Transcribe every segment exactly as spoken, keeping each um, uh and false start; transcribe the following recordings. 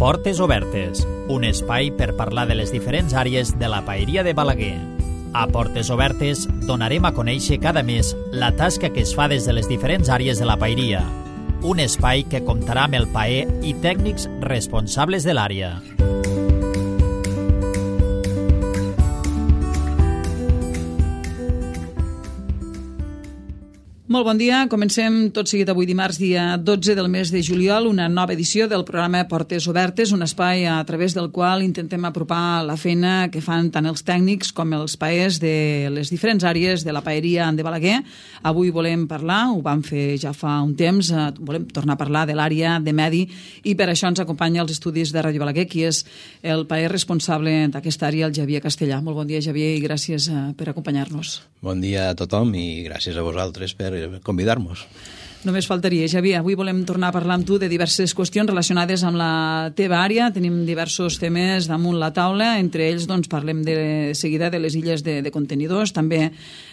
Portes Obertes, un espai per parlar de les diferents àrees de la paeria de Balaguer. A Portes Obertes donarem a conèixer cada mes la tasca que es fa des de les diferents àrees de la paeria. Un espai que comptarà amb el paer i tècnics responsables de l'àrea. Molt bon dia. Comencem tot seguit avui dimarts, dia dotze del mes de juliol, una nova edició del programa Portes Obertes, un espai a través del qual intentem apropar la feina que fan tant els tècnics com els paers de les diferents àrees de la paeria de Balaguer. Avui volem parlar, ho vam fer ja fa un temps, volem tornar a parlar de l'àrea de medi i per això ens acompanya als estudis de Ràdio Balaguer, qui és el paer responsable d'aquesta àrea, el Xavier Castellà. Molt bon dia, Xavier, i gràcies per acompanyar-nos. Bon dia a tothom i gràcies a vosaltres per convidar-nos. Només faltaria, Xavier. Avui volem tornar a parlar amb tu de diverses qüestions relacionades amb la teva àrea. Tenim diversos temes damunt la taula. Entre ells, doncs, parlem de seguida de les illes de, de contenidors, també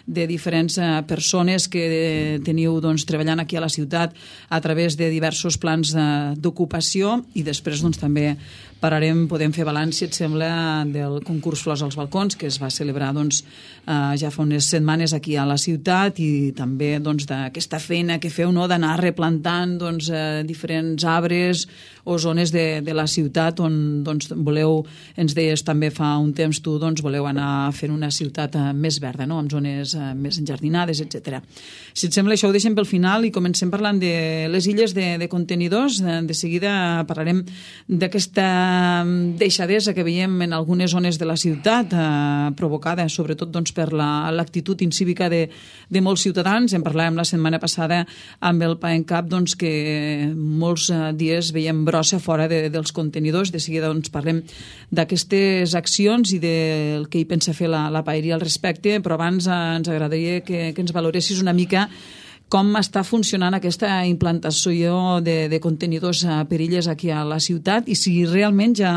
de diferents eh, persones que teniu doncs, treballant aquí a la ciutat a través de diversos plans eh, d'ocupació i després doncs, també pararem, podem fer balanç, si et sembla, del concurs Flors als Balcons, que es va celebrar doncs, eh, ja fa unes setmanes aquí a la ciutat i també doncs, d'aquesta feina que feu, no?, d'anar replantant doncs, eh, diferents arbres o zones de, de la ciutat on doncs, voleu, ens deies també fa un temps tu, doncs, voleu anar fent una ciutat eh, més verda, no?, amb zones eh, més enjardinades, etcètera. Si et sembla, això ho deixem pel final i comencem parlant de les illes de, de contenidors. De, de seguida parlarem d'aquesta deixadesa que veiem en algunes zones de la ciutat, eh, provocada sobretot doncs, per l'actitud la, incívica de, de molts ciutadans. En parlàvem la setmana passada amb el PAENCAP, doncs, que molts eh, dies veiem brossa fora de, dels contenidors. De seguida doncs, parlem d'aquestes accions i del que hi pensa fer la, la paeria al respecte, però abans eh, ens agradaria que, que ens valoressis una mica com està funcionant aquesta implantació de, de contenidors per illes aquí a la ciutat i si realment ja,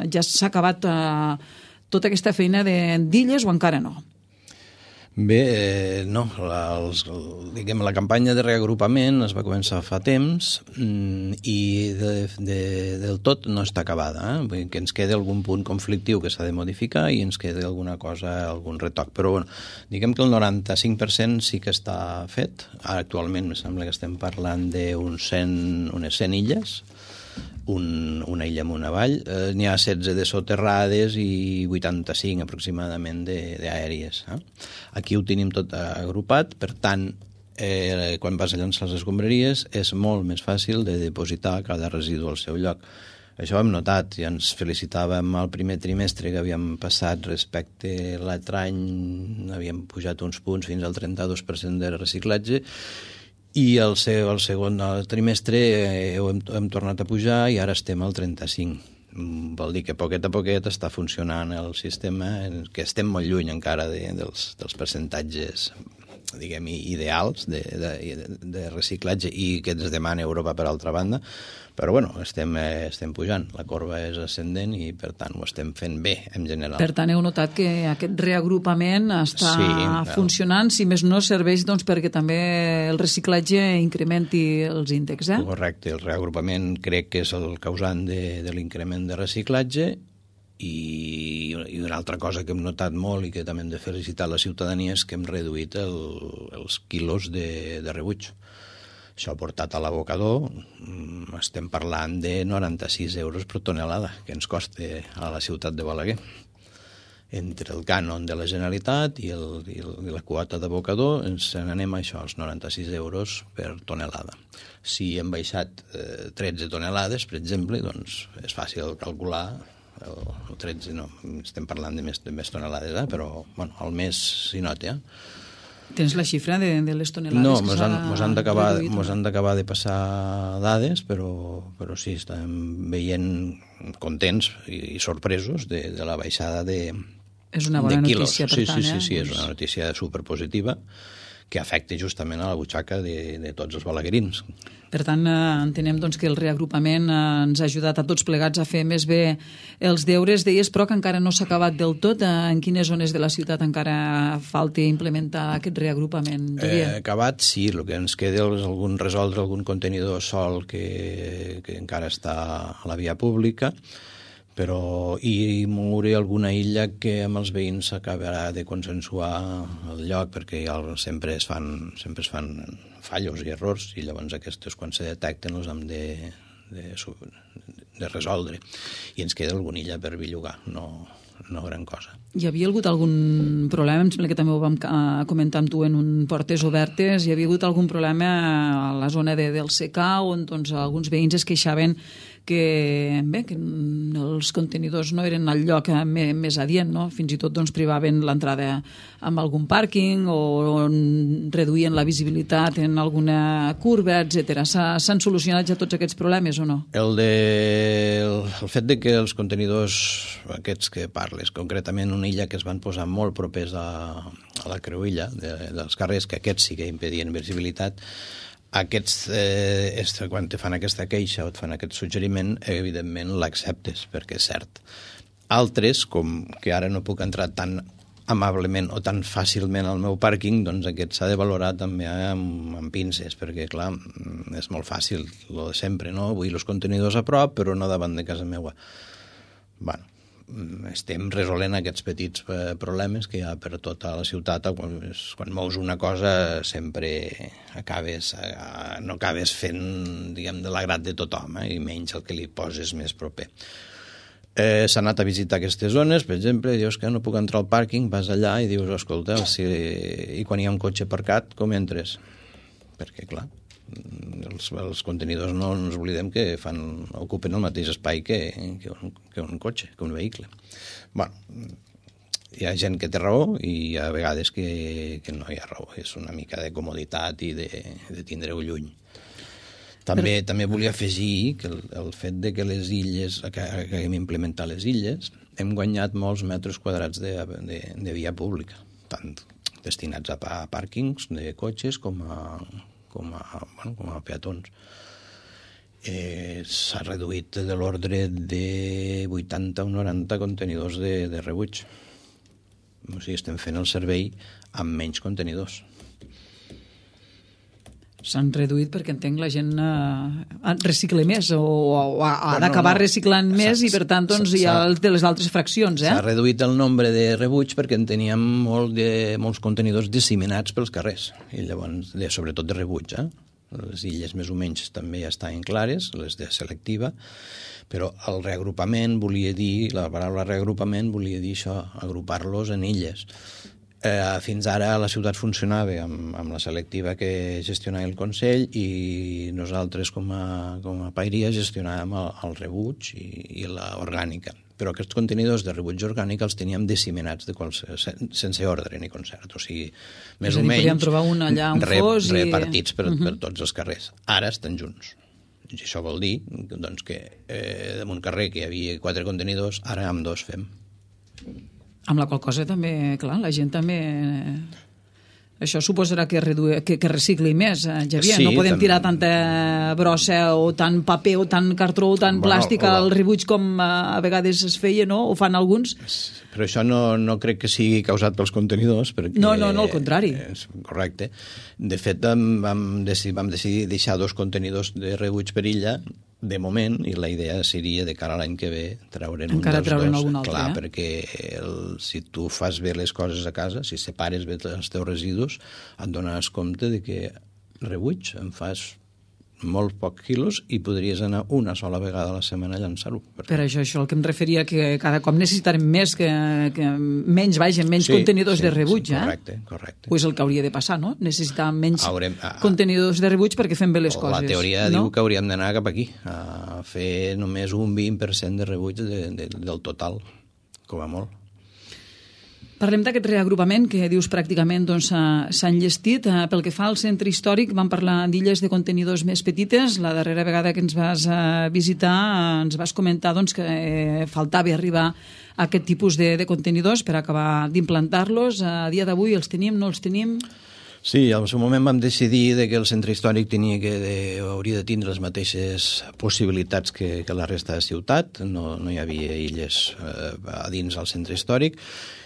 ja s'ha acabat eh, tota aquesta feina d'illes o encara no? Bé, eh, no, la, els, diguem, la campanya de reagrupament es va començar fa temps mm, i de, de, del tot no està acabada, eh? Vull dir que ens queda algun punt conflictiu que s'ha de modificar i ens queda alguna cosa, algun retoc, però bueno, diguem que el noranta-cinc per cent sí que està fet. Ara, actualment, em sembla que estem parlant d'unes cent, unes cent illes, Un, una illa amb una vall, eh, n'hi ha setze de soterrades i vuitanta-cinc aproximadament d'aèries. Eh? Aquí ho tenim tot agrupat, per tant, eh, quan vas a llançar les escombraries és molt més fàcil de depositar cada residu al seu lloc. Això ho hem notat i ens felicitàvem al primer trimestre que havíem passat respecte a l'altre any, havíem pujat uns punts fins al trenta-dos per cent de reciclatge i el, seu, el segon el trimestre eh, hem, hem tornat a pujar i ara estem al trenta-cinc. Vol dir que poquet a poquet està funcionant el sistema, que estem molt lluny encara de, dels, dels percentatges diguem, ideals de, de, de reciclatge i que ens demana Europa per altra banda, però bueno, estem, estem pujant, la corba és ascendent i per tant ho estem fent bé en general. Per tant, heu notat que aquest reagrupament està sí, funcionant, si més no serveix doncs, perquè també el reciclatge incrementi els índexs, eh? Correcte, el reagrupament crec que és el causant de, de l'increment de reciclatge. I, i una altra cosa que hem notat molt i que també hem de felicitar la ciutadania és que hem reduït el, els quilos de, de rebuig. Això ha portat a l'abocador, estem parlant de noranta-sis euros per tonelada que ens costa a la ciutat de Balaguer. Entre el cànon de la Generalitat i, el, i, el, i la quota d'abocador ens n'anem a això, als noranta-sis euros per tonelada. Si hem baixat eh, tretze tonelades, per exemple, doncs és fàcil calcular o tretze, no, estem parlant de més, de més tonelades, eh? Però bueno, al mes s'hi nota. Eh? Tens la xifra de, de les tonelades no, que mos s'ha han, mos han d'acabar reduït? Mos han d'acabar de passar dades, però, però sí, estem veient contents i, i sorpresos de, de la baixada de, és una bona de quilos. notícia, per sí, tant. Sí, sí, eh? sí, és una notícia superpositiva que afecta justament a la butxaca de, de tots els balaguerins. Per tant, eh, entenem doncs, que el reagrupament eh, ens ha ajudat a tots plegats a fer més bé els deures. Deies, però, que encara no s'ha acabat del tot. Eh, en quines zones de la ciutat encara falta implementar aquest reagrupament? Eh, acabat, sí. El que ens queda és algun, resoldre algun contenidor sol que, que encara està a la via pública, però i moure alguna illa que amb els veïns s'acabarà de consensuar el lloc, perquè ja sempre es fan, sempre es fan fallos i errors, i llavors aquests, quan se detecten, els hem de, de, de resoldre. I ens queda alguna illa per bellugar, no, no gran cosa. Hi havia hagut algun problema, em sembla que també ho vam comentar amb tu en un Portes Obertes, hi havia hagut algun problema a la zona de, del secà, on doncs, alguns veïns es queixaven que, bé, que els contenidors no eren al lloc més, més adient, no? Fins i tot doncs, privaven l'entrada amb algun pàrquing o reduïen la visibilitat en alguna curva, etcètera. S'han solucionat ja tots aquests problemes o no? El, de, el, el fet de que els contenidors aquests que parles, concretament una illa que es van posar molt propers a, a la creuilla de, dels carrers, que aquests sí que impedien visibilitat, aquests, eh, quan te fan aquesta queixa o et fan aquest suggeriment, evidentment l'acceptes, perquè és cert. Altres, com que ara no puc entrar tan amablement o tan fàcilment al meu pàrquing, doncs aquest s'ha de valorar també amb, amb pinces, perquè, clar, és molt fàcil, lo de sempre, no? Vull els contenidors a prop, però no davant de casa meva. Bueno, estem resolent aquests petits problemes que hi ha per tota la ciutat. Quan, quan mous una cosa sempre acabes, no acabes fent, diguem, de l'agrat de tothom, eh? I menys el que li poses més proper. Eh, s'ha anat a visitar aquestes zones, per exemple, dius que no puc entrar al pàrquing, vas allà i dius, escolta, si... i quan hi ha un cotxe aparcat, com entres? Perquè, clar, els, els contenidors no ens oblidem que fan, ocupen el mateix espai que, que, un, que un cotxe, que un vehicle. Bueno, hi ha gent que té raó i hi ha vegades que, que no hi ha raó. És una mica de comoditat i de, de tindre-ho lluny. També, Però... també volia afegir que el, el fet de que les illes, que, que hem implementat les illes, hem guanyat molts metres quadrats de, de, de via pública, tant destinats a, a pàrquings de cotxes com a, com a, bueno, com a peatons. Eh, s'ha reduït de l'ordre de vuitanta o noranta contenidors de, de rebuig. O sigui, estem fent el servei amb menys contenidors. S'han reduït perquè entenc la gent eh, recicla més o, o ha, ha bueno, d'acabar no. reciclant més i per tant doncs, hi ha de les altres fraccions. Eh? S'ha reduït el nombre de rebuig perquè en teníem molt de, molts contenidors disseminats pels carrers, i llavors, de, sobretot de rebuig. Eh? Les illes més o menys també ja estan clares, les de selectiva, però el reagrupament volia dir, la paraula reagrupament volia dir això, agrupar-los en illes. Eh, fins ara la ciutat funcionava amb, amb la selectiva que gestionava el Consell i nosaltres com a, com a paeria gestionàvem el, el rebuig i, i l'orgànica. Però aquests contenidors de rebuig orgànic els teníem disseminats de qualse, sense ordre ni concert. O sigui, més o menys trobar un allà, un re, fos i... repartits per, uh-huh. per tots els carrers. Ara estan junts. I això vol dir doncs, que eh, en un carrer que hi havia quatre contenidors, ara amb dos fem. Amb la qual cosa també, clar, la gent també... Això suposarà que, redu... que, que recicli més, eh, Xavier. Sí, no podem també... tirar tanta brossa o tant paper o tant cartró o tant bueno, plàstic al rebuig com a vegades es feia, no? O fan alguns. Però això no, no crec que sigui causat pels contenidors. Perquè, no, no, no, al contrari. És correcte. De fet, vam decidir, vam decidir deixar dos contenidors de rebuig per illa, de moment, i la idea seria de cara a l'any que ve treure'n un dels dos. Algun altre, clar, eh? perquè el, si tu fas bé les coses a casa, si separes bé els teus residus, et dones compte de que rebuig en fas molt pocs quilos i podries anar una sola vegada a la setmana a llançar-ho. Per això, això el que em referia, que cada cop necessitarem més, que, que menys vagin, menys sí, contenidors sí, de rebuig, sí, eh? Correcte, correcte. Pues el que hauria de passar, no? Necessitar menys Haurem, a, contenidors de rebuig perquè fem bé les la coses. La teoria no? diu que hauríem d'anar cap aquí, a fer només un vint per cent de rebuig de, de, del total, com a molt. Parlem d'aquest reagrupament que dius pràcticament doncs, s'ha enllestit. Pel que fa al centre històric, vam parlar d'illes de contenidors més petites. La darrera vegada que ens vas visitar ens vas comentar doncs, que faltava arribar a aquest tipus de, de contenidors per acabar d'implantar-los. A dia d'avui els tenim, no els tenim? Sí, al seu moment vam decidir de que el centre històric tenia que de, hauria de tindre les mateixes possibilitats que, que la resta de ciutat, no, no hi havia illes eh, a dins del centre històric,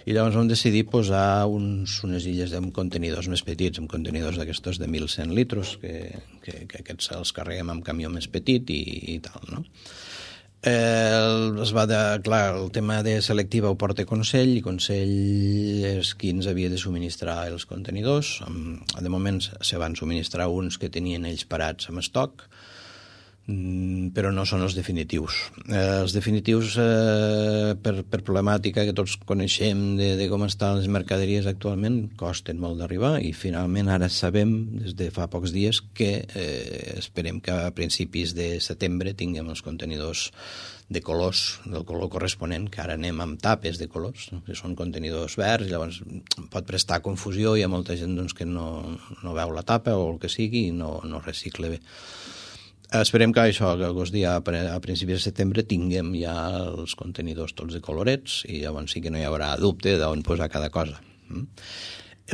i llavors vam decidir posar uns, unes illes amb contenidors més petits, amb contenidors d'aquestos de mil cent litros, que, que, que aquests els carreguem amb camió més petit i, i tal, no? Eh, es va de, clar, el tema de selectiva ho porta Consell, i Consell és qui ens havia de subministrar els contenidors. De moment se van subministrar uns que tenien ells parats amb estoc, però no són els definitius. Eh, els definitius, eh, per, per problemàtica que tots coneixem de, de com estan les mercaderies actualment, costen molt d'arribar, i finalment ara sabem, des de fa pocs dies, que eh, esperem que a principis de setembre tinguem els contenidors de colors, del color corresponent, que ara anem amb tapes de colors, no? Que són contenidors verds, llavors pot prestar confusió, hi ha molta gent doncs, que no, no veu la tapa o el que sigui i no, no recicla bé. Esperem que això, que aquest dia, a principis de setembre, tinguem ja els contenidors tots de colorets i llavors sí que no hi haurà dubte d'on posar cada cosa. Mm?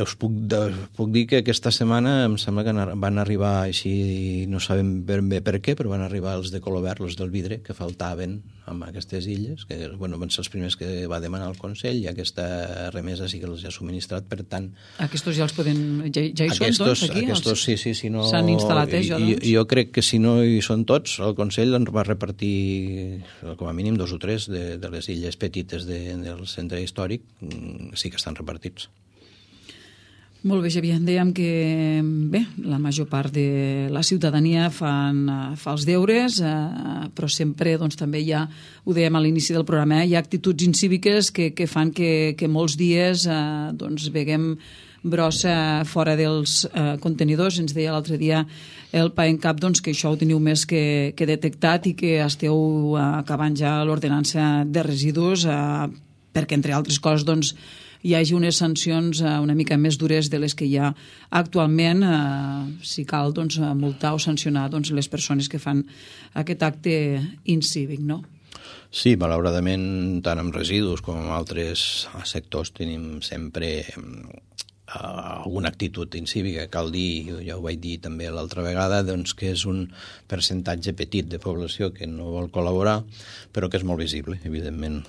Us puc, de, puc dir que aquesta setmana em sembla que van arribar, així no sabem ben bé per què, però van arribar els de color verd, els del vidre, que faltaven amb aquestes illes, que bueno, van ser els primers que va demanar el Consell, i aquesta remesa sí que els ha subministrat, per tant... Aquestos ja els podem... Ja, ja hi aquestos, són tots aquí? Aquestos, sí, sí, si no... S'han instal·lat, eh, jo, doncs? Jo, jo crec que si no hi són tots, el Consell ens va repartir com a mínim dos o tres de, de les illes petites de, del centre històric, sí que estan repartits. Molt bé, Xavier. Dèiem que bé, la major part de la ciutadania fan, fa els deures, eh, però sempre doncs, també hi ha, ho dèiem a l'inici del programa, eh, hi ha actituds incíviques que, que fan que, que molts dies eh, doncs, veguem brossa fora dels eh, contenidors. Ens deia l'altre dia el PAENCAP doncs, que això ho teniu més que, que detectat i que esteu eh, acabant ja l'ordenança de residus eh, perquè, entre altres coses, doncs, hi hagi unes sancions eh, una mica més dures de les que hi ha actualment, eh, si cal doncs, multar o sancionar doncs, les persones que fan aquest acte incívic, no? Sí, malauradament, tant amb residus com en altres sectors tenim sempre Uh, alguna actitud incívica. Cal dir, ja ho vaig dir també l'altra vegada, doncs que és un percentatge petit de població que no vol col·laborar, però que és molt visible, evidentment.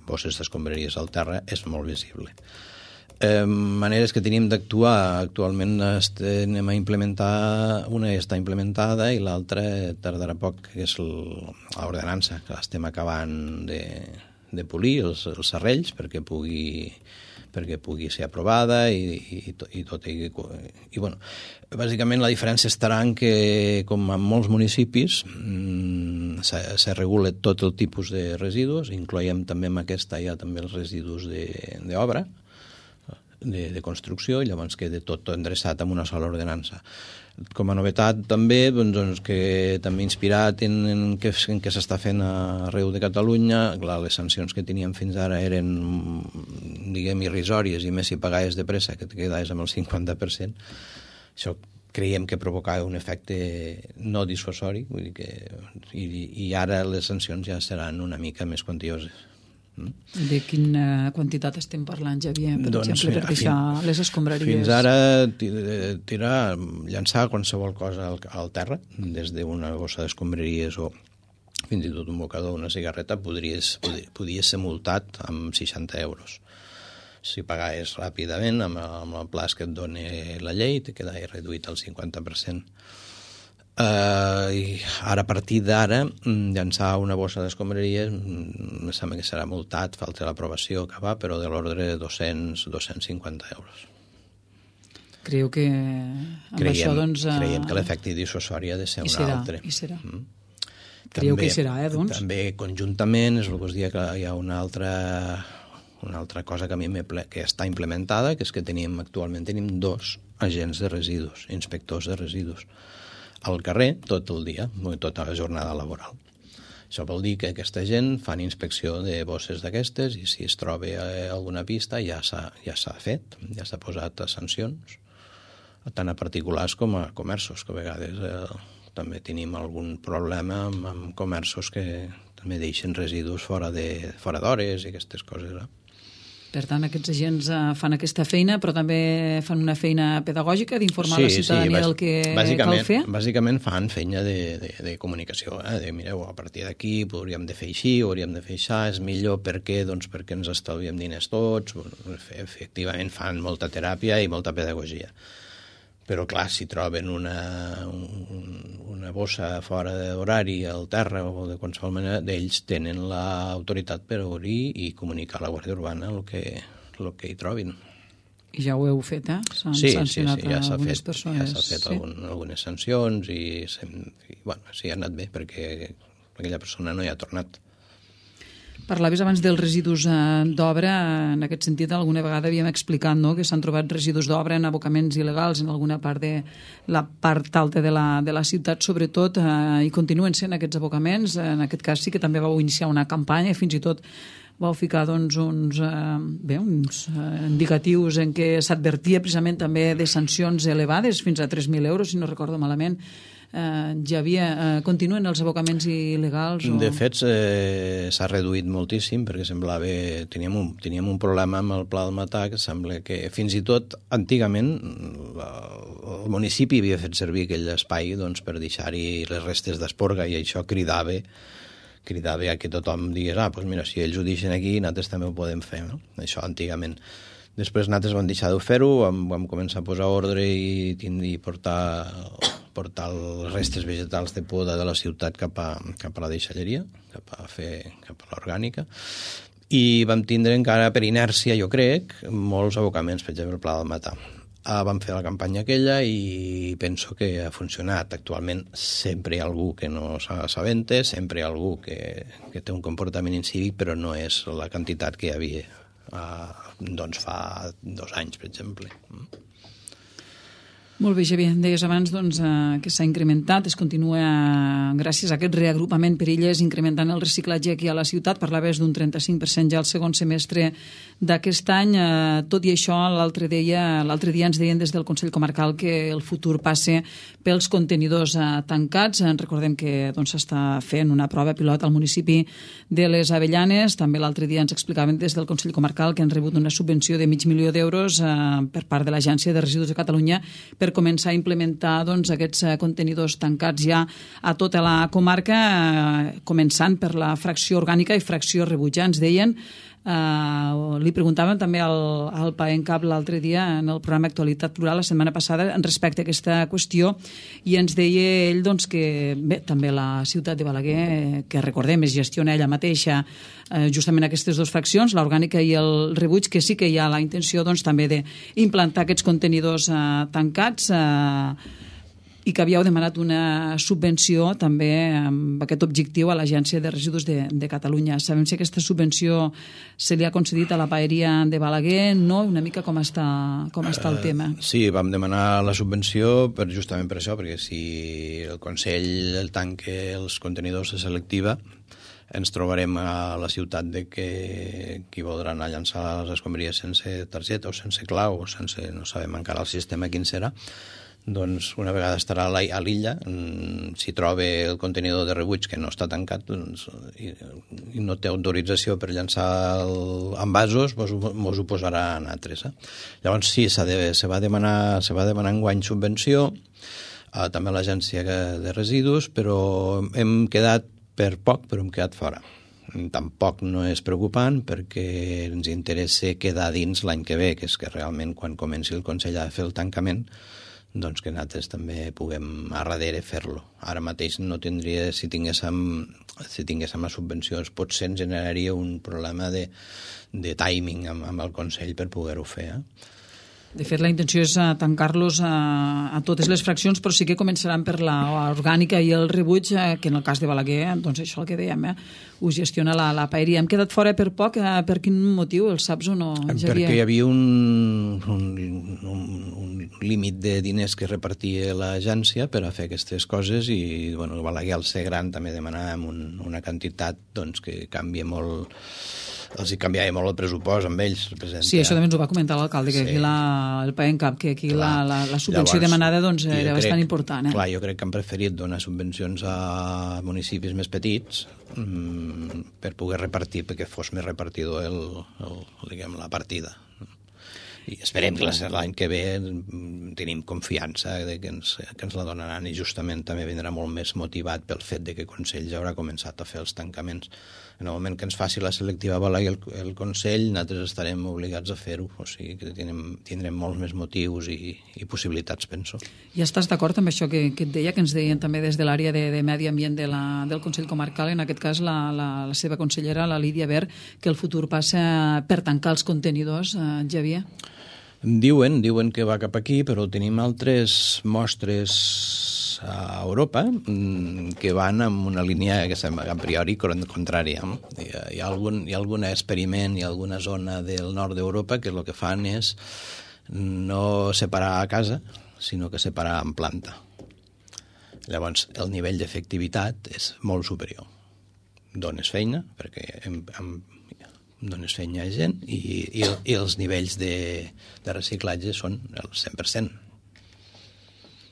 Bosses d'escombraries al terra és molt visible. Eh, maneres que tenim d'actuar, actualment anem a implementar, una està implementada i l'altra tardarà poc, que és l'ordenança, que l'estem acabant de, de polir, els, els serrells, perquè pugui perquè pugui ser aprovada i, i, i tot. I, i bueno, bàsicament la diferència estarà en que, com en molts municipis, mmm, se, se regula tot el tipus de residus, incloiem també en aquesta ja també els residus d'obra, de, de construcció, i llavors queda tot endreçat amb una sola ordenança. Com a novetat també, doncs, que també inspirat en, en què, en què s'està fent arreu de Catalunya, clar, les sancions que teníem fins ara eren, diguem, irrisòries, i més si pagaves de pressa, que et quedaves amb el cinquanta per cent. Això creiem que provocava un efecte no dissuasori, vull dir que, i, i ara les sancions ja seran una mica més quantioses. De quina quantitat estem parlant, Xavier, per doncs, exemple, per deixar fin, les escombraries? Fins ara, tirar, llançar qualsevol cosa al, al terra, des d'una bossa d'escombraries o fins i tot un bocador, una cigarreta, podries, podries ser multat amb seixanta euros. Si pagaves ràpidament, amb, amb el plaç que et dona la llei, te quedaves reduït al cinquanta per cent. Uh, i ara, a partir d'ara, llançar una bossa d'escombraries em sembla que serà multat, falta l'aprovació que va, però de l'ordre de dos-cents a dos-cents cinquanta euros. Creieu que amb creiem, això, doncs... Uh... Creiem que l'efecte dissuasori ha de ser un serà, altre. I serà. Mm. també, Creieu que hi serà, eh, doncs? També conjuntament, és el que us dia que hi ha una altra, una altra cosa que a mi ple, que està implementada, que és que tenim, actualment tenim dos agents de residus, inspectors de residus, al carrer tot el dia, tota la jornada laboral. Això vol dir que aquesta gent fan inspecció de bosses d'aquestes i si es troba alguna pista ja s'ha ja s'ha fet, ja s'ha posat a sancions, tant a particulars com a comerços, que a vegades eh, també tenim algun problema amb, amb comerços que també deixen residus fora de fora d'hores i aquestes coses. Eh? Per tant, aquests agents uh, fan aquesta feina, però també fan una feina pedagògica d'informar sí, la ciutadania sí, del que cal fer? Bàsicament fan feina de, de, de comunicació, eh? de mireu, a partir d'aquí hauríem de fer així, hauríem de fer això, és millor per què? Doncs perquè ens estalviem diners tots, efectivament fan molta teràpia i molta pedagogia. Però, clar, si troben una, un, una bossa fora d'horari al terra o de qualsevol manera, d'ells tenen l'autoritat per obrir i comunicar a la Guàrdia Urbana el que, el que hi trobin. I ja ho heu fet, eh? S'han sí, sancionat sí, sí, ja algunes fet, persones. Ja s'ha fet sí. algun, algunes sancions i, i bueno, sí, ha anat bé perquè aquella persona no hi ha tornat. Parlaves abans dels residus eh, d'obra, en aquest sentit alguna vegada havíem explicat no? que s'han trobat residus d'obra en abocaments il·legals en alguna part de la part alta de la, de la ciutat, sobretot, eh, i continuen sent aquests abocaments. En aquest cas sí que també vau iniciar una campanya, fins i tot vau ficar doncs, uns, eh, bé, uns eh, indicatius en què s'advertia precisament també de sancions elevades, fins a tres mil euros, si no recordo malament. Eh, ja havia, eh, continuen els abocaments il·legals? O... De fet, eh, s'ha reduït moltíssim perquè semblava... Teníem un, teníem un problema amb el Pla del Matà que sembla que fins i tot antigament la, el municipi havia fet servir aquell espai doncs, per deixar-hi les restes d'esporga i això cridava cridava a que tothom digués ah, doncs mira, si ells ho deixen aquí, nosaltres també ho podem fer. No? Això antigament. Després nosaltres vam deixar de fer-ho, vam, vam començar a posar ordre i, i portar, portar les restes vegetals de poda de la ciutat cap a, cap a la deixalleria, cap a, fer, cap a l'orgànica, i vam tindre encara per inèrcia, jo crec, molts abocaments, per exemple, el Pla del Matà. Ah, vam fer la campanya aquella i penso que ha funcionat. Actualment sempre hi ha algú que no s'assabenta, sempre hi ha algú que, que té un comportament incívic, però no és la quantitat que hi havia Uh, doncs fa dos anys, per exemple. Molt bé, Xavier. Deies abans doncs, uh, que s'ha incrementat, es continua uh, gràcies a aquest reagrupament per illes incrementant el reciclatge aquí a la ciutat. Parlaves d'un trenta-cinc per cent ja al segon semestre d'aquest any. Uh, tot i això, l'altre dia, l'altre dia ens deien des del Consell Comarcal que el futur passe pels contenidors uh, tancats. Uh, recordem que doncs, s'està fent una prova pilot al municipi de les Avellanes. També l'altre dia ens explicaven des del Consell Comarcal que han rebut una subvenció de mig milió d'euros uh, per part de l'Agència de Residus de Catalunya per començar a implementar doncs, aquests uh, contenidors tancats ja a tota la comarca, uh, començant per la fracció orgànica i fracció rebuig. Ja ens deien, uh, li preguntàvem també al, al PAENCAP l'altre dia en el programa Actualitat Plural la setmana passada respecte a aquesta qüestió i ens deia ell doncs, que bé, també la ciutat de Balaguer, que recordem es gestiona ella mateixa eh, justament aquestes dues fraccions, l'orgànica i el rebuig, que sí que hi ha la intenció doncs, també d'implantar aquests contenidors eh, tancats eh, i que havíeu demanat una subvenció també amb aquest objectiu a l'Agència de Residus de, de Catalunya. Sabem si aquesta subvenció se li ha concedit a la paeria de Balaguer, no? Una mica com està, com està el tema. Uh, sí, vam demanar la subvenció per, justament per això, perquè si el Consell el tanca els contenidors de selectiva, ens trobarem a la ciutat de que qui voldrà anar a llançar les escombraries sense targeta o sense clau o sense, no sabem encara el sistema quin serà, doncs una vegada estarà a l'illa, si troba el contenidor de rebuig que no està tancat doncs, i, i no té autorització per llançar el, envasos, mos, mos ho posarà en altres. Eh? Llavors sí, de, se va demanar, se va demanar enguany subvenció, eh, també a l'Agència de Residus, però hem quedat per poc, però hem quedat fora. Tampoc no és preocupant perquè ens interessa quedar dins l'any que ve, que és que realment quan comenci el Consell a fer el tancament doncs que nosaltres també puguem a darrere fer-lo. Ara mateix no tindria, si tinguéssim, si tinguéssim la subvenció, potser ens generaria un problema de, de timing amb, amb el Consell per poder-ho fer. Eh? De fet, la intenció és tancar-los a, a totes les fraccions, però sí que començaran per l'orgànica i el rebuig, que en el cas de Balaguer, doncs això el que dèiem, eh, ho gestiona la, la paeria. Hem quedat fora per poc, eh, per quin motiu, el saps o no, Xavier? Perquè hi havia un, un, un, un límit de diners que repartia l'agència per a fer aquestes coses i bueno, Balaguer, al ser gran, també demanàvem un, una quantitat doncs, que canvia molt els hi canviava molt el pressupost amb ells. Presenta. Sí, això també ens ho va comentar l'alcalde, que sí. Aquí la, el PAENCAP, que aquí clar, la, la, la subvenció llavors, demanada doncs, era crec, bastant important. Eh? Clar, jo crec que han preferit donar subvencions a municipis més petits mmm, per poder repartir, perquè fos més repartidor el, el, diguem, la partida. I esperem que l'any que ve tenim confiança de que ens, que ens la donaran, i justament també vindrà molt més motivat pel fet de que el Consell ja haurà començat a fer els tancaments. En el moment que ens faci la selectiva Balaguer el, el Consell, nosaltres estarem obligats a fer-ho, o sigui que tindrem, tindrem molts més motius i, i possibilitats, penso. I estàs d'acord amb això que, que et deia, que ens deien també des de l'àrea de, de Medi Ambient de la, del Consell Comarcal, en aquest cas la, la, la seva consellera, la Lídia Ver, que el futur passa per tancar els contenidors, eh, Xavier? Diuen, diuen que va cap aquí, però tenim altres mostres a Europa que van en una línia que sembla a priori contrària. Hi ha, hi ha, algun, hi ha algun experiment, hi ha alguna zona del nord d'Europa que el que fan és no separar a casa, sinó que separar en planta. Llavors, el nivell d'efectivitat és molt superior. Dones feina, perquè en, en dones feina a gent, i, i, i els nivells de, de reciclatge són el cent per cent.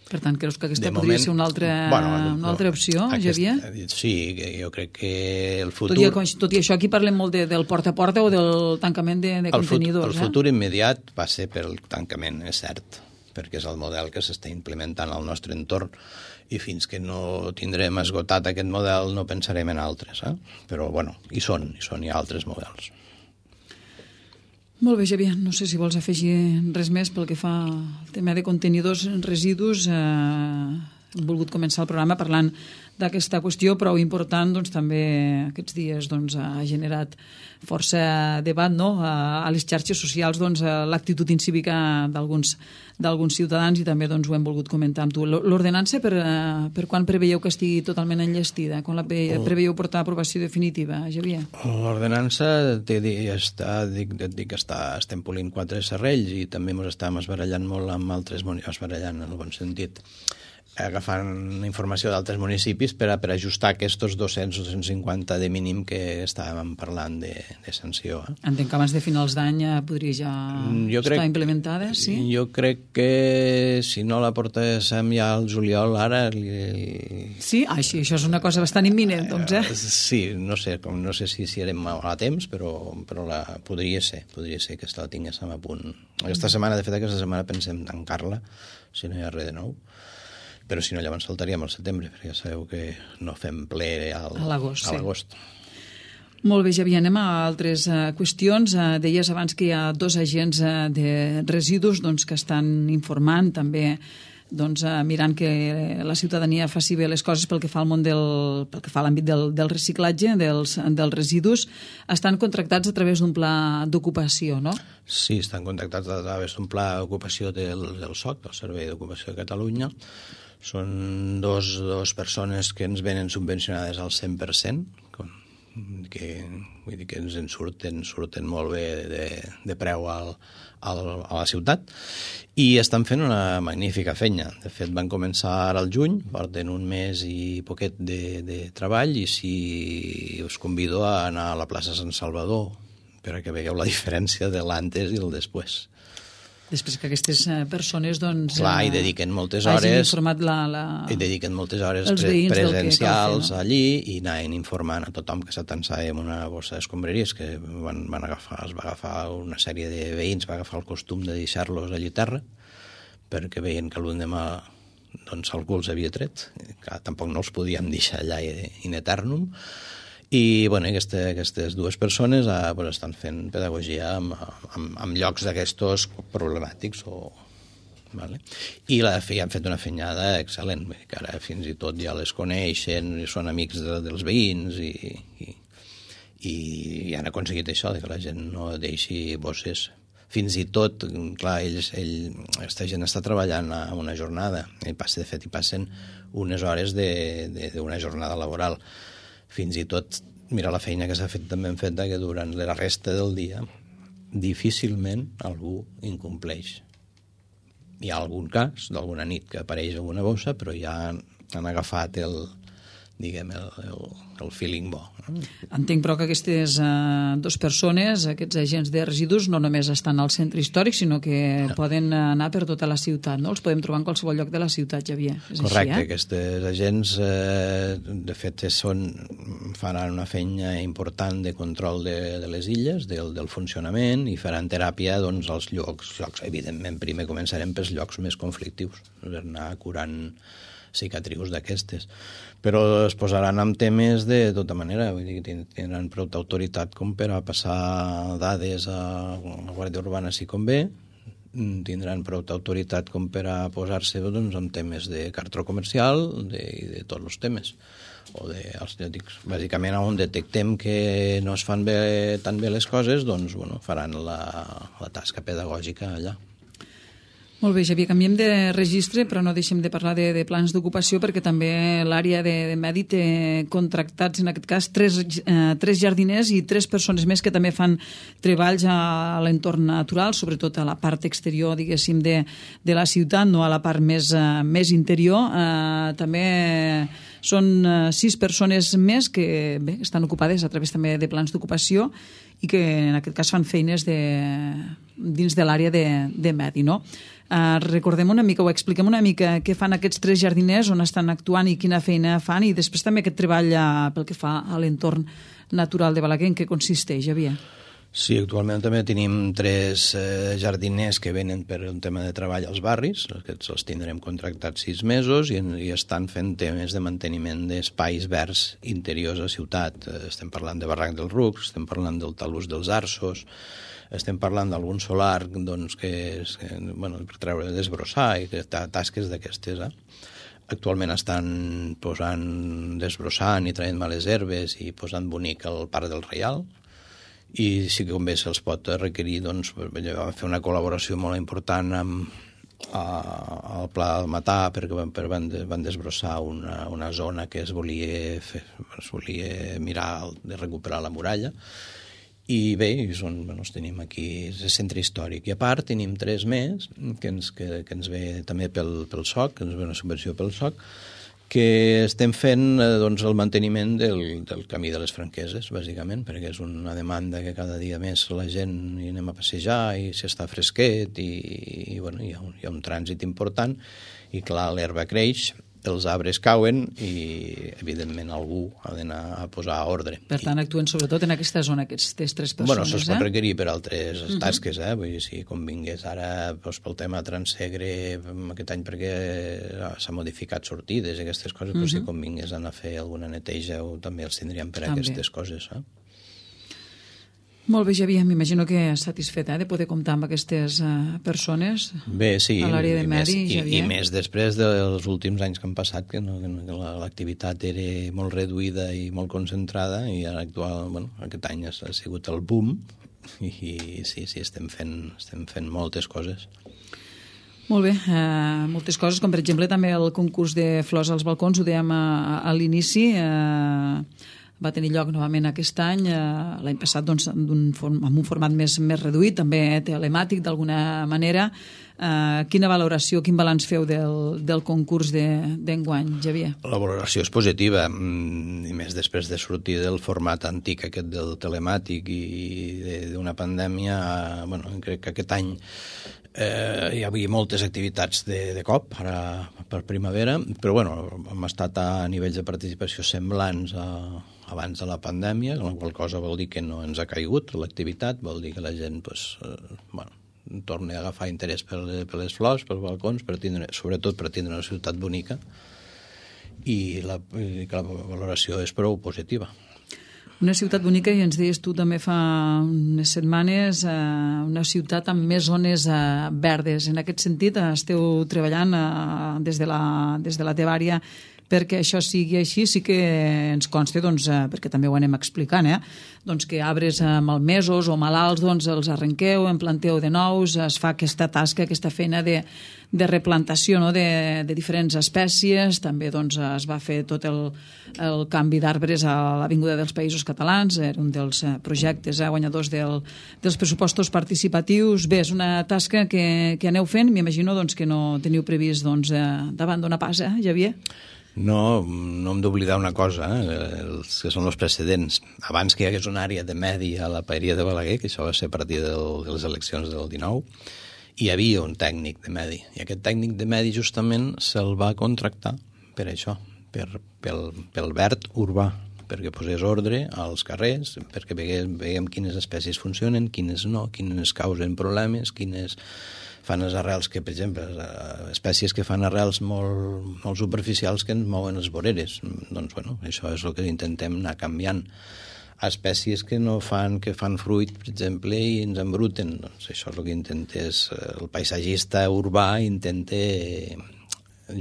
Per tant, creus que aquesta de podria moment, ser una altra, bueno, una altra opció, aquest, Xavier? Sí, jo crec que el futur... Tot i, tot i això, aquí parlem molt de, del porta a porta o del tancament de, de contenidors. El, fut, el futur eh? immediat va ser per el tancament, és cert, perquè és el model que s'està implementant al nostre entorn, i fins que no tindrem esgotat aquest model no pensarem en altres. Eh? Però, bueno, hi són, hi són, hi ha altres models. Molt bé, Xavier. No sé si vols afegir res més pel que fa al tema de contenidors residus. Eh, hem volgut començar el programa parlant d'aquesta qüestió, prou important, doncs, també aquests dies doncs, ha generat força debat, no? A, a les xarxes socials, doncs, l'actitud incívica d'alguns d'alguns ciutadans, i també doncs, ho hem volgut comentar amb tu. L'ordenança, per, per quan preveieu que estigui totalment enllestida? Quan la preveieu portar a aprovació definitiva, Xavier? L'ordenança té, està, dic, dic que està, estem polint quatre serrells, i també ens estàvem esbarallant molt amb altres municipis, esbarallant en el bon sentit, agafant informació d'altres municipis per a, per ajustar aquests dos-cents o dos-cents cinquanta de mínim que estàvem parlant de, de sanció. Eh? Entenc que abans de finals d'any podria ja jo estar crec, implementada, sí? Jo crec que si no la portéssim ja al juliol, ara... Li... Sí? Ah, sí, això és una cosa bastant imminent, doncs, eh? Sí, no sé, com, no sé si, si érem a temps, però, però la, podria ser, podria ser que la tinguéssim a punt. Aquesta setmana, de fet, aquesta setmana pensem tancar-la, si no hi ha res de nou. Però si no, llavors saltaríem al setembre, perquè ja sabeu que no fem ple al, a l'agost. Sí. Molt bé, Xavier, anem a altres uh, qüestions. Uh, deies abans que hi ha dos agents uh, de residus doncs, que estan informant també, doncs, uh, mirant que la ciutadania faci bé les coses pel que fa al món del, pel que fa a l'àmbit del, del reciclatge, dels, dels residus. Estan contractats a través d'un pla d'ocupació, no? Sí, estan contractats a través d'un pla d'ocupació del, del S O C, del Servei d'Ocupació de Catalunya. Són dos, dos persones que ens venen subvencionades al cent per cent, que, vull dir que ens en surten, surten molt bé de, de preu al, al, a la ciutat, i estan fent una magnífica feina. De fet, van començar al juny, porten un mes i poquet de, de treball, i si us convido a anar a la plaça Sant Salvador per a que veieu la diferència de l'antes i el després. Després que aquestes persones doncs, clar, hi dediquen moltes hores, informat la, la... hi dediquen moltes hores pre presencials fer, no? allí, i anaven informant a tothom que s'atansava amb una bossa d'escombraries, que van, van agafar, es va agafar una sèrie de veïns, va agafar el costum de deixar-los allí a terra, perquè veien que l'endemà doncs, algú els havia tret, que tampoc no els podíem deixar allà in eternum. I bueno, aquesta, aquestes dues persones eh, pues, estan fent pedagogia amb, amb, amb llocs d'aquestos problemàtics. O, vale? I la, han fet una fenyada excel·lent, que ara fins i tot ja les coneixen, són amics de, dels veïns, i, i, i han aconseguit això, que la gent no deixi bosses. Fins i tot, clar, ells, ell, aquesta gent està treballant a una jornada, i passa, de fet hi passen unes hores d'una jornada laboral. Fins i tot, mira la feina que s'ha fet també en fet que durant la resta del dia difícilment algú incompleix. Hi ha algun cas d'alguna nit que apareix alguna bossa, però ja han, han agafat el, diguem, el, el, el feeling bo. Entenc, però, que aquestes uh, dues persones, aquests agents de residus, no només estan al centre històric, sinó que no. poden anar per tota la ciutat, no? Els podem trobar en qualsevol lloc de la ciutat, Xavier. És Correcte, així, eh? aquests agents, eh, de fet, són, faran una feina important de control de, de les illes, del, del funcionament, i faran teràpia doncs, als llocs, llocs. Evidentment, primer començarem pels llocs més conflictius, per anar curant cicatrius d'aquestes, però es posaran amb temes de tota manera, vull dir que tindran prou autoritat com per a passar dades a la Guàrdia Urbana si convé, tindran prou autoritat com per a posar-se doncs, amb temes de cartró comercial de, i de tots els temes. O de, els, dic, bàsicament, on detectem que no es fan bé, tan bé les coses, doncs bueno, faran la, la tasca pedagògica allà. Molt bé, Xavier, canviem de registre, però no deixem de parlar de, de plans d'ocupació, perquè també l'àrea de, de Medi té contractats, en aquest cas, tres, eh, tres jardiners i tres persones més que també fan treballs a, a l'entorn natural, sobretot a la part exterior, diguéssim, de, de la ciutat, no a la part més, eh, més interior. Eh, també són eh, sis persones més que bé, estan ocupades a través també de plans d'ocupació i que en aquest cas fan feines de, dins de l'àrea de, de Medi, no? Uh, recordem una mica o expliquem una mica què fan aquests tres jardiners, on estan actuant i quina feina fan, i després també aquest treball uh, pel que fa a l'entorn natural de Balaguer, en què consisteix, Xavier? Sí, actualment també tenim tres eh, jardiners que venen per un tema de treball als barris, aquests els tindrem contractats sis mesos i, i estan fent temes de manteniment d'espais verds interiors a ciutat. Estem parlant de Barranc dels Rucs, estem parlant del talús dels Arços, estem parlant d'algun solar doncs, que és, que, bueno, per treure, desbrossar i que, tasques d'aquestes. Eh? Actualment estan posant, desbrossant i traient males herbes i posant bonic el Parc del Reial, i si convé se'ls pot requerir doncs, fer una col·laboració molt important amb a, al Pla del Matà, perquè per, van, van desbrossar una, una zona que es volia, fer, es volia mirar de recuperar la muralla. I bé, són, bueno, els tenim aquí, és el centre històric. I a part tenim tres més, que ens, que, que ens ve també pel, pel S O C, que ens ve una subvenció pel S O C, que estem fent doncs, el manteniment del, del camí de les Franqueses, bàsicament, perquè és una demanda que cada dia més la gent hi anem a passejar i s'està fresquet i, i bueno, hi ha un, hi ha un trànsit important i clar, l'herba creix, els arbres cauen i, evidentment, algú ha d'anar a posar ordre. Per tant, actuen sobretot en aquesta zona, aquestes tres persones. Bueno, això es pot eh? requerir per altres uh-huh. tasques, eh? Vull dir, si convingués ara doncs, pel tema Transsegre aquest any perquè s'ha modificat sortides i aquestes coses, uh-huh. però si convingués anar a fer alguna neteja o també els tindríem per també. Aquestes coses, eh? Molt bé, Xavier, m'imagino que satisfet eh, de poder comptar amb aquestes uh, persones bé, sí, a l'àrea de i Medi, més, Xavier. I, I més després dels últims anys que han passat, que, no, que l'activitat era molt reduïda i molt concentrada, i ara actual, bueno, aquest any ha sigut el boom, i, i sí, sí, estem fent, estem fent moltes coses. Molt bé, eh, moltes coses, com per exemple també el concurs de flors als balcons, ho dèiem a, a l'inici, eh, va tenir lloc novament aquest any, eh, l'any passat doncs, form, amb un format més, més reduït, també telemàtic d'alguna manera. Eh, quina valoració, quin balanç feu del, del concurs d'enguany, de, Xavier? La valoració és positiva, i més després de sortir del format antic aquest del telemàtic i d'una pandèmia. Bueno, crec que aquest any eh, hi havia moltes activitats de, de cop, ara per primavera, però bueno, hem estat a nivells de participació semblants a abans de la pandèmia, la qual cosa vol dir que no ens ha caigut l'activitat, vol dir que la gent pues, eh, bueno, torna a agafar interès per, per les flors, pels balcons, per tindre, sobretot per tindre una ciutat bonica, i la, i la valoració és prou positiva. Una ciutat bonica, i ens deies tu també fa unes setmanes, eh, una ciutat amb més zones eh, verdes. En aquest sentit, esteu treballant eh, des de la, des de la teva àrea perquè això sigui així. Sí que ens consta, doncs, eh, perquè també ho anem explicant, eh, doncs que arbres eh, malmesos o malalts doncs, els arrenqueu, en planteu de nous, es fa aquesta tasca, aquesta feina de, de replantació, no?, de, de diferents espècies. També doncs, es va fer tot el, el canvi d'arbres a l'Avinguda dels Països Catalans, era un dels projectes eh, guanyadors del, dels pressupostos participatius. Bé, és una tasca que, que aneu fent, m'imagino doncs, que no teniu previst doncs, eh, d'abandonar pas, eh, Xavier? No, no hem d'oblidar una cosa, eh? els que són els precedents. Abans que hi hagués una àrea de medi a la paeria de Balaguer, que això va ser a partir del, de les eleccions del dinou, hi havia un tècnic de medi. I aquest tècnic de medi justament se'l va contractar per això, per, pel, pel verd urbà, perquè posés ordre als carrers, perquè veguem, veguem quines espècies funcionen, quines no, quines causen problemes, quines fan les arrels que, per exemple, espècies que fan arrels molt, molt superficials que ens mouen les voreres. Doncs, bueno, això és el que intentem anar canviant. Espècies que no fan, que fan fruit, per exemple, i ens embruten. Doncs això és el que intenta, és, el paisatgista urbà intenta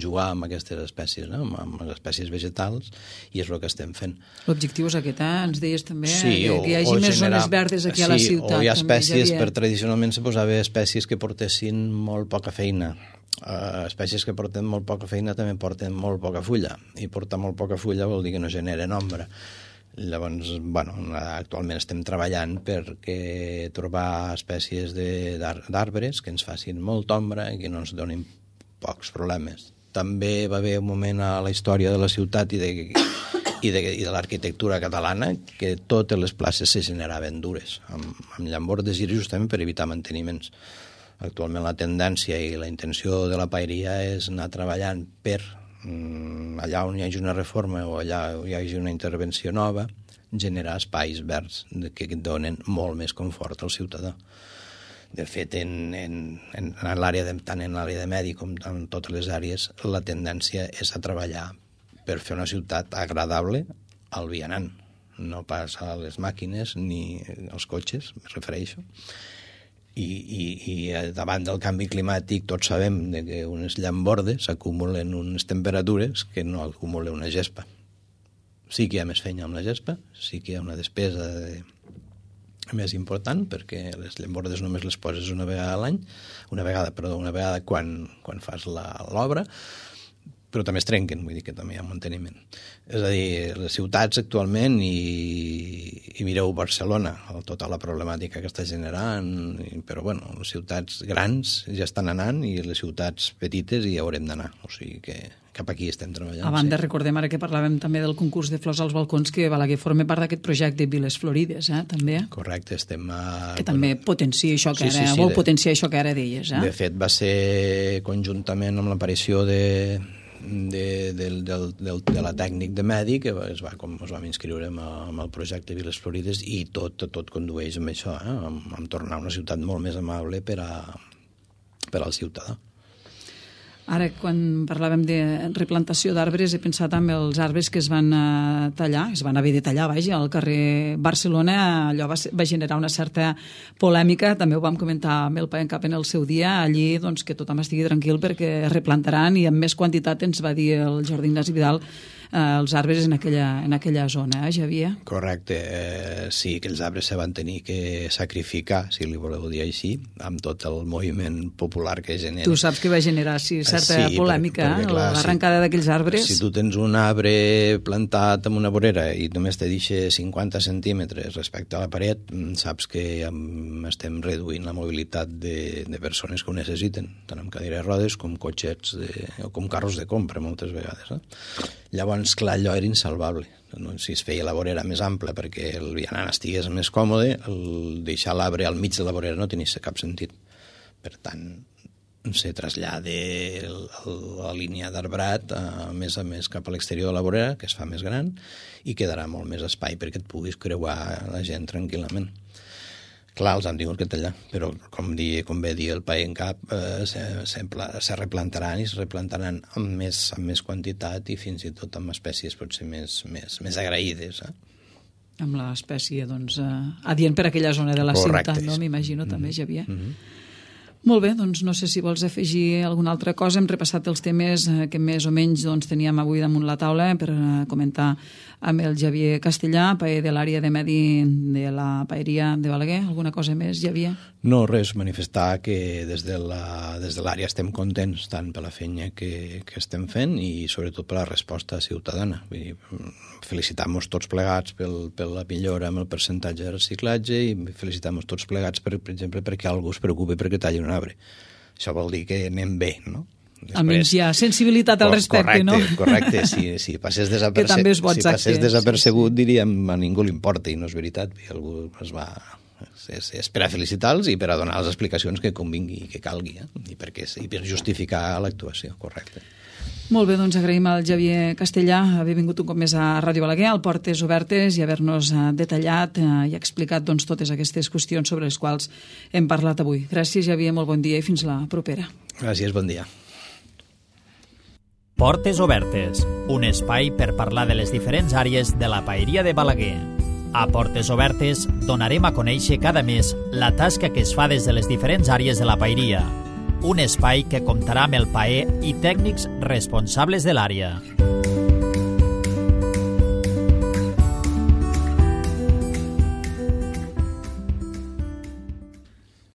jugar amb aquestes espècies, no? amb les espècies vegetals, i és el que estem fent. L'objectiu és aquest, eh? Ens deies també sí, o, que hi hagi més generar... zones verdes aquí sí, a la ciutat. O hi ha espècies, també, per tradicionalment se posava espècies que portessin molt poca feina. Uh, espècies que porten molt poca feina també porten molt poca fulla, i portar molt poca fulla vol dir que no generen ombra. Llavors, bueno, actualment estem treballant perquè trobar espècies d'arbres que ens facin molta ombra i que no ens donin pocs problemes. També va haver un moment a la història de la ciutat i de, i de, i de l'arquitectura catalana que totes les places se generaven dures, amb, amb llambordes i justament per evitar manteniments. Actualment la tendència i la intenció de la paeria és anar treballant per allà on hi hagi una reforma o allà on hi hagi una intervenció nova, generar espais verds que donen molt més confort al ciutadà. De fet, en, en, en l'àrea de, tant en l'àrea de medi com en totes les àrees, la tendència és a treballar per fer una ciutat agradable al vianant, no pas a les màquines ni als cotxes, me refereixo. I, i, i davant del canvi climàtic tots sabem que unes llambordes acumulen unes temperatures que no acumula una gespa. Sí que hi ha més feina amb la gespa, sí que hi ha una despesa de més important, perquè les llambordes només les poses una vegada a l'any, una vegada, perdó, una vegada quan, quan fas l'obra, però també es trenquen, vull dir que també hi ha manteniment. És a dir, les ciutats actualment, i, i mireu Barcelona, tota la problemàtica que està generant, però bueno, les ciutats grans ja estan anant i les ciutats petites hi haurem d'anar, o sigui que cap aquí estem treballant. A banda, sí. Recordem ara que parlàvem també del concurs de flors als balcons, que Balaguer forma part d'aquest projecte Viles Florides, eh, també. Correcte, estem a... Que també potencia això que sí, ara, sí, sí, vol de... potenciar això que ara deies, eh? De fet, va ser conjuntament amb l'aparició de, de, de, de, de, de la tècnic de medi, que es va, com ens vam inscriure amb, amb el projecte Viles Florides, i tot, tot condueix amb això, eh, amb, amb tornar una ciutat molt més amable per, a, per al ciutadà. Ara, quan parlàvem de replantació d'arbres, he pensat en els arbres que es van tallar, es van haver de tallar, vaja, al carrer Barcelona. Allò va, va generar una certa polèmica, també ho vam comentar amb el Paen Cap en el seu dia, allí doncs, que tothom estigui tranquil perquè es replantaran, i amb més quantitat ens va dir el Jordi Ignasi Vidal eh, els arbres en aquella, en aquella zona, eh, Xavier? Correcte, eh, sí, aquells arbres se van tenir que sacrificar, si li voleu dir així, amb tot el moviment popular que genera. Tu saps que va generar, sí, certa sí, polèmica, perquè, clar, l'arrencada si, d'aquells arbres. Si tu tens un arbre plantat en una vorera i només te deixa cinquanta centímetres respecte a la paret, saps que estem reduint la mobilitat de, de persones que ho necessiten, tant amb cadires de rodes com cotxets de, o com carros de compra moltes vegades. Eh? Llavors, clar, allò era insalvable. Si es feia la vorera més ampla perquè el vianant estigués més còmode, el deixar l'arbre al mig de la vorera no tenia cap sentit. Per tant, se trasllada la línia d'arbrat a més a més cap a l'exterior de la vorera, que es fa més gran, i quedarà molt més espai perquè et puguis creuar la gent tranquil·lament. Clar, els han tingut que tallar, però com, di, com bé dir el Paen Cap, eh, se, se, se replantaran i es replantaran amb més, amb més quantitat i fins i tot amb espècies potser més, més, més agraïdes. Eh? Amb l'espècie, doncs, eh, adient per aquella zona de la Correcte. Ciutat, no? M'imagino, mm-hmm. també, Xavier. Mm-hmm. Molt bé, doncs no sé si vols afegir alguna altra cosa. Hem repassat els temes que més o menys doncs, teníem avui damunt la taula per comentar amb el Xavier Castellà, paer de l'àrea de medi de la paeria de Balaguer. Alguna cosa més, Xavier? No, res, manifestar que des de la, des de l'àrea estem contents tant per la feina que, que estem fent i sobretot per la resposta ciutadana. Vull dir, felicitar-nos tots plegats pel, per la millora amb el percentatge de reciclatge i felicitar-nos tots plegats, per, per exemple, perquè algú es preocupi perquè talli un arbre. Això vol dir que anem bé, no? Després, almenys hi ha sensibilitat al respecte, correcte, no? Correcte, si, si passés, desaperce... Que també és bo, si passés exacte. desapercebut, Sí, sí. diríem a ningú li importa, i no és veritat. I algú es va... És, és per a felicitar-los i per a donar les explicacions que convingui i que calgui, eh? I, per, I per justificar l'actuació, correcte. Molt bé, doncs agraïm al Xavier Castellà haver vingut un cop més a Ràdio Balaguer, al Portes Obertes, i haver-nos detallat i explicat doncs, totes aquestes qüestions sobre les quals hem parlat avui. Gràcies, Xavier, molt bon dia i fins la propera. Gràcies, bon dia. Portes Obertes, un espai per parlar de les diferents àrees de la paeria de Balaguer. A Portes Obertes donarem a conèixer cada mes la tasca que es fa des de les diferents àrees de la paeria. Un espai que comptarà amb el paer i tècnics responsables de l'àrea.